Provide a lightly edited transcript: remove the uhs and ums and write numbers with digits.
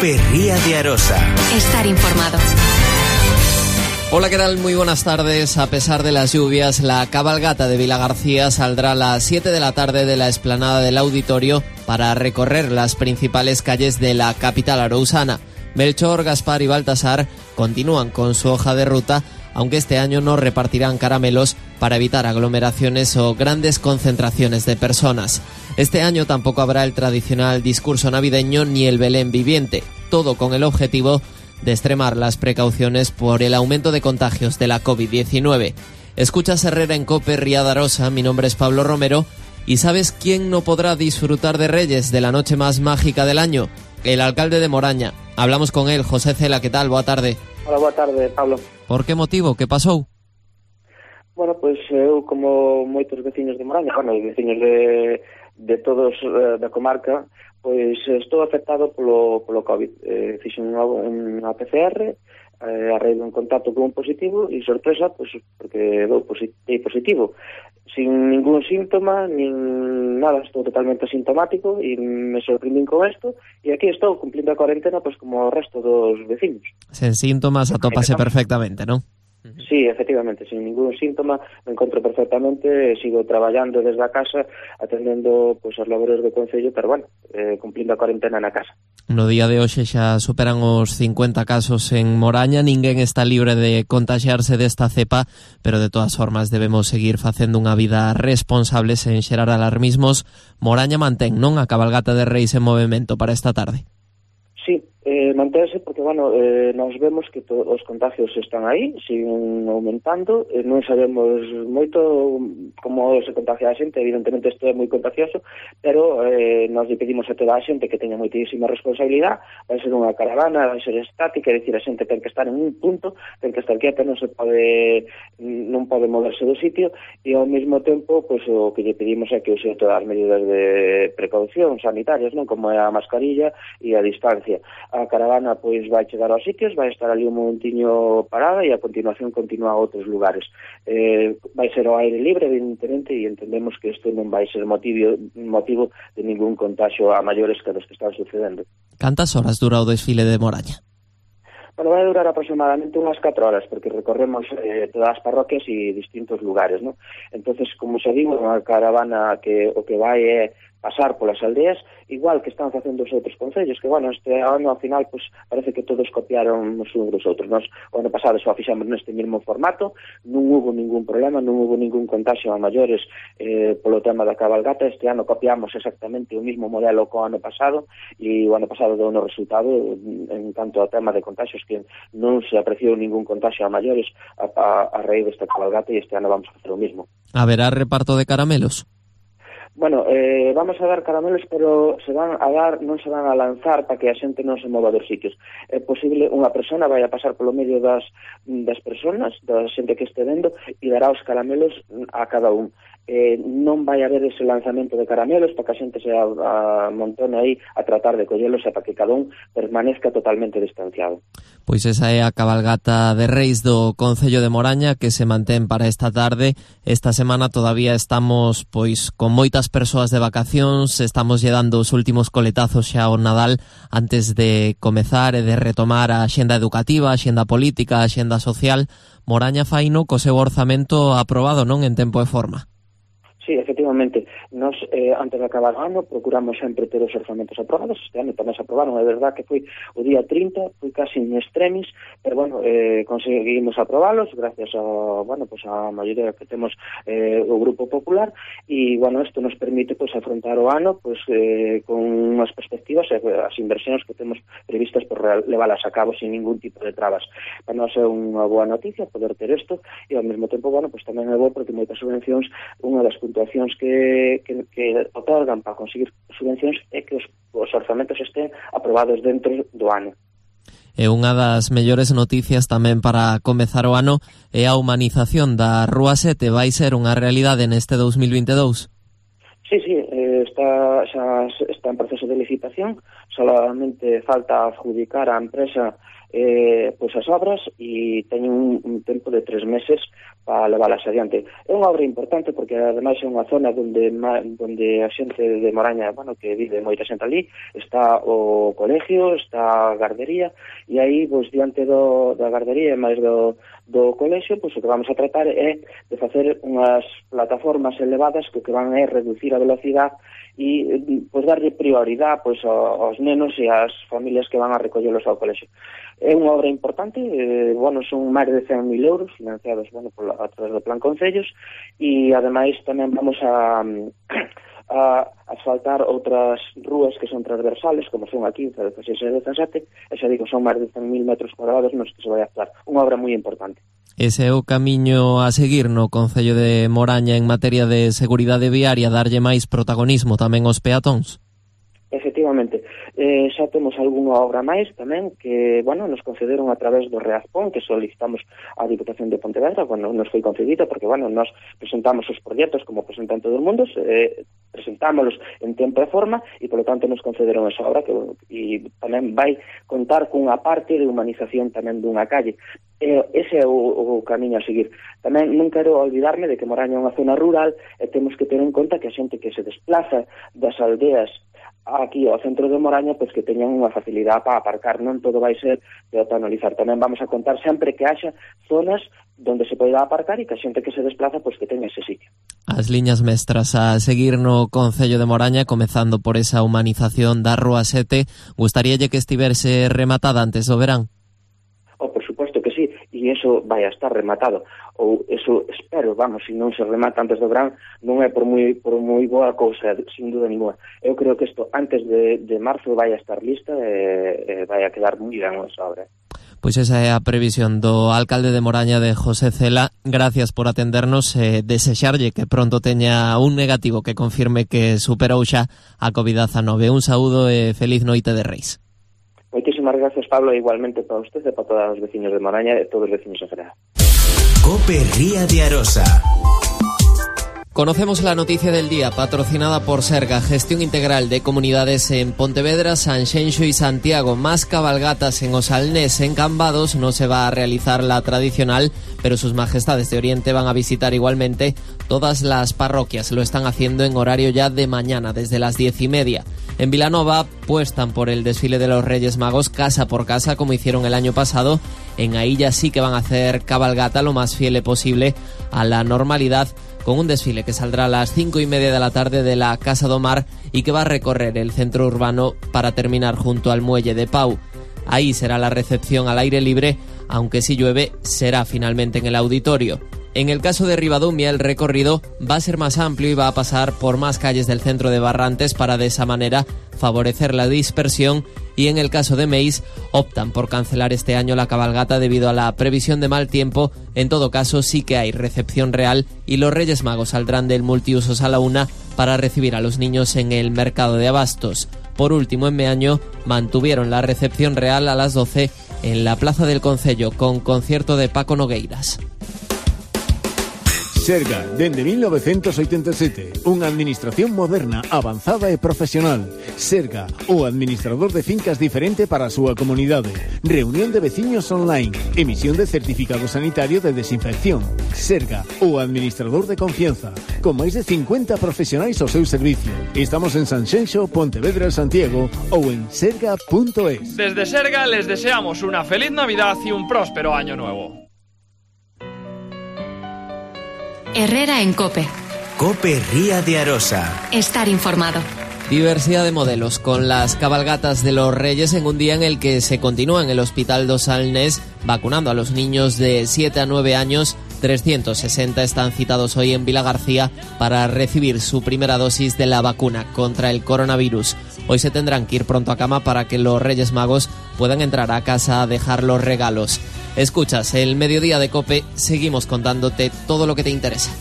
COPE Ría de Arosa. Estar informado. Hola, ¿qué tal? Muy buenas tardes. A pesar de las lluvias, la cabalgata de Vilagarcía saldrá a las 7 de la tarde de la explanada del auditorio para recorrer las principales calles de la capital arousana. Melchor, Gaspar y Baltasar continúan con su hoja de ruta, aunque este año no repartirán caramelos para evitar aglomeraciones o grandes concentraciones de personas. Este año tampoco habrá el tradicional discurso navideño ni el Belén viviente, todo con el objetivo de extremar las precauciones por el aumento de contagios de la COVID-19. Escuchas Herrera en COPE Ría de Arosa, mi nombre es Pablo Romero, y ¿sabes quién no podrá disfrutar de Reyes, de la noche más mágica del año? El alcalde de Moraña. Hablamos con él, José Cela, ¿qué tal? Boa tarde. Hola, boa tarde, Pablo. Por que motivo? Que pasou? Bueno, pois eu, como moitos veciños de Moraña, veciños de todos da comarca, pois estou afectado polo COVID. Fixen unha PCR, a raíz dun contacto con un positivo e sorpresa, pois porque dou positivo, sin ningún síntoma, nin nada, estou totalmente asintomático e me sorprendín con isto e aquí estou cumplindo a cuarentena pois como o resto dos veciños. Sen síntomas atópase perfectamente, non? Sí, efectivamente, sin ningún síntoma me encontro perfectamente, sigo traballando desde a casa, atendendo pois as labores do Concello, pero bueno, cumplindo a cuarentena na casa. No día de hoxe xa superan os 50 casos en Moraña, ninguén está libre de contagiarse desta cepa, pero de todas formas debemos seguir facendo unha vida responsable sen xerar alarmismos. Moraña mantén, non, a cabalgata de Reis en movimento para esta tarde? Sí, manténse porque, nos vemos que os contagios están aí, siguen aumentando, non sabemos moito como se contagia a xente, evidentemente isto é moi contagioso, pero nos pedimos a toda a xente que teña moitísima responsabilidade, vai ser unha caravana, vai ser estática, é dicir, a xente ten que estar en un punto, ten que estar quieta, non pode moverse do sitio, e ao mesmo tempo, pois o que lle pedimos é que use todas as medidas de precaución sanitarias, non, como é a mascarilla e a distancia. A caravana pois vai chegar aos sitios, vai estar ali un momentiño parada e a continuación continúa a outros lugares. Vai ser ao aire libre, evidentemente, e entendemos que isto non vai ser motivo de ningún contagio a maiores que os que están sucedendo. Cantas horas dura o desfile de Moraña? Bueno, vai durar aproximadamente unhas 4 horas, porque recorremos todas as parroquias e distintos lugares, ¿no? Entonces, como xa digo, unha caravana que o que vai é pasar polas aldeas, igual que están facendo os outros concellos, que, este ano, ao final, pues, parece que todos copiaron uns dos outros. Nos, o ano pasado, só fixamos neste mesmo formato, non hubo ningún problema, non hubo ningún contagio a maiores polo tema da cabalgata. Este ano copiamos exactamente o mismo modelo co ano pasado, e o ano pasado deu no resultado, en canto ao tema de contagios, que non se apreciou ningún contagio a maiores a raíz desta cabalgata, e este ano vamos a facer o mismo. Haberá reparto de caramelos? Bueno, vamos a dar caramelos, pero non se van a lanzar para que a xente non se mova dos sitios. É posible, unha persona vai a pasar polo medio das personas, da xente que este vendo, e dará os caramelos a cada un. Non vai haber ese lanzamento de caramelos para que a xente se amontone aí a tratar de collelos e para que cada un permanezca totalmente distanciado. Pois esa é a cabalgata de Reis do Concello de Moraña que se mantén para esta tarde. Esta semana todavía estamos pois con moitas persoas de vacacións, estamos lle dando os últimos coletazos xa ao Nadal antes de comezar e de retomar a axenda educativa, a axenda política, a axenda social. Moraña faino co seu orzamento aprobado, non, en tempo e forma. Sí, efectivamente, nos antes de acabar o ano procuramos sempre ter os orzamentos aprobados. Este ano tamén se aprobaron, é verdad que foi o día 30, foi casi in extremis, pero conseguimos aprobalos gracias a maioría que temos o Grupo Popular, e isto nos permite afrontar o ano con unhas perspectivas e as inversións que temos previstas por leválas a cabo sin ningún tipo de trabas. Para nós é unha boa noticia poder ter isto, e ao mesmo tempo tamén é bo porque moitas subvencións, unha das puntuacións que otorgan para conseguir subvencións é que os orzamentos estén aprobados dentro do ano. E unha das mellores noticias tamén para comezar o ano é a humanización da Rúa 7. Vai ser unha realidade neste 2022? Sí, está en proceso de licitación, solamente falta adjudicar a empresa pois as obras e teñen un tempo de 3 meses para leválas adiante. É unha obra importante porque ademais é unha zona onde a xente de Moraña, bueno, que vive moita xente ali, está o colegio, está a gardería, e aí, pois, diante da gardería e máis do colexio, pois o que vamos a tratar é de facer unhas plataformas elevadas que van a reducir a velocidade e pois darlle prioridade pois aos nenos e ás familias que van a recollelos ao colexio. É unha obra importante, son máis de 100.000 euros financiados a través do Plan Concellos, e ademais tamén vamos a asfaltar outras rúas que son transversales, como son a 15, 16 e 17, e xa digo, son máis de 100.000 metros cuadrados nos que se vai a actuar. Unha obra moi importante. Ese é o camiño a seguir no Concello de Moraña en materia de seguridade viaria, darlle máis protagonismo tamén aos peatóns? Efectivamente, xa temos algunha obra máis tamén que, nos concederon a través do Reazpón, que solicitamos á Diputación de Pontevedra, nos foi concedida, porque, nos presentamos os proxectos como presentan todo o mundo, presentámolos en tempo e forma, e, polo tanto, nos concederon esa obra, e tamén vai contar cunha parte de humanización tamén dunha calle. Ese é o camiño a seguir. Tamén non quero olvidarme de que Moraña é unha zona rural e temos que ter en conta que a xente que se desplaza das aldeas aquí ao centro de Moraña, pois que teñan unha facilidade para aparcar, non todo vai ser peatonalizar. Tamén vamos a contar sempre que haxa zonas donde se poida aparcar e que a xente que se desplaza, pois que teña ese sitio. As liñas mestras a seguir no Concello de Moraña, comezando por esa humanización da Rúa 7, gustaríalle que estivese rematada antes do verán? Por suposto que sí, e iso vai a estar rematado, ou eso espero, se non se remata antes do verán, non é por moi boa cousa, sin duda ninguna. Eu creo que isto antes de marzo vai a estar lista e vai a quedar moi ben esa obra. Pois esa é a previsión do alcalde de Moraña, de José Cela. Gracias por atendernos e desexarlle que pronto teña un negativo que confirme que superou xa a COVID-19. Un saúdo e feliz noite de Reis. Moitísimas gracias, Pablo, igualmente para usted e para todos os veciños de Moraña e todos os veciños en general. COPE Ría de Arosa. Conocemos la noticia del día, patrocinada por Serga, gestión integral de comunidades en Pontevedra, Sanxenxo y Santiago. Más cabalgatas en Osalnés. En Cambados no se va a realizar la tradicional, pero sus majestades de Oriente van a visitar igualmente todas las parroquias. Lo están haciendo en horario ya de mañana, desde las 10:30. En Vilanova apuestan por el desfile de los Reyes Magos casa por casa, como hicieron el año pasado. En Aïlla sí que van a hacer cabalgata lo más fiel posible a la normalidad, con un desfile que saldrá a las 5:30 de la tarde de la Casa do Mar y que va a recorrer el centro urbano para terminar junto al muelle de Pau. Ahí será la recepción al aire libre, aunque si llueve será finalmente en el auditorio. En el caso de Ribadumia, el recorrido va a ser más amplio y va a pasar por más calles del centro de Barrantes para de esa manera favorecer la dispersión, y en el caso de Meis optan por cancelar este año la cabalgata debido a la previsión de mal tiempo. En todo caso sí que hay recepción real y los Reyes Magos saldrán del multiusos a la 1 para recibir a los niños en el mercado de abastos. Por último, en Meaño mantuvieron la recepción real a las 12 en la Plaza del Concello con concierto de Paco Nogueiras. Serga, dende 1987, unha administración moderna, avanzada e profesional. Serga, o administrador de fincas diferente para a súa comunidade. Reunión de veciños online, emisión de certificado sanitario de desinfección. Serga, o administrador de confianza, con máis de 50 profesionais ao seu servicio. Estamos en Sanxenxo, Pontevedra, Santiago ou en serga.es. Desde Serga les deseamos una feliz Navidad y un próspero año nuevo. Herrera en COPE. COPE Ría de Arosa. Estar informado. Diversidad de modelos con las cabalgatas de los Reyes en un día en el que se continúa en el Hospital do Salnés vacunando a los niños de 7 a 9 años. 360 están citados hoy en Vilagarcía para recibir su primera dosis de la vacuna contra el coronavirus. Hoy se tendrán que ir pronto a cama para que los Reyes Magos puedan entrar a casa a dejar los regalos. Escuchas el Mediodía de COPE, seguimos contándote todo lo que te interesa.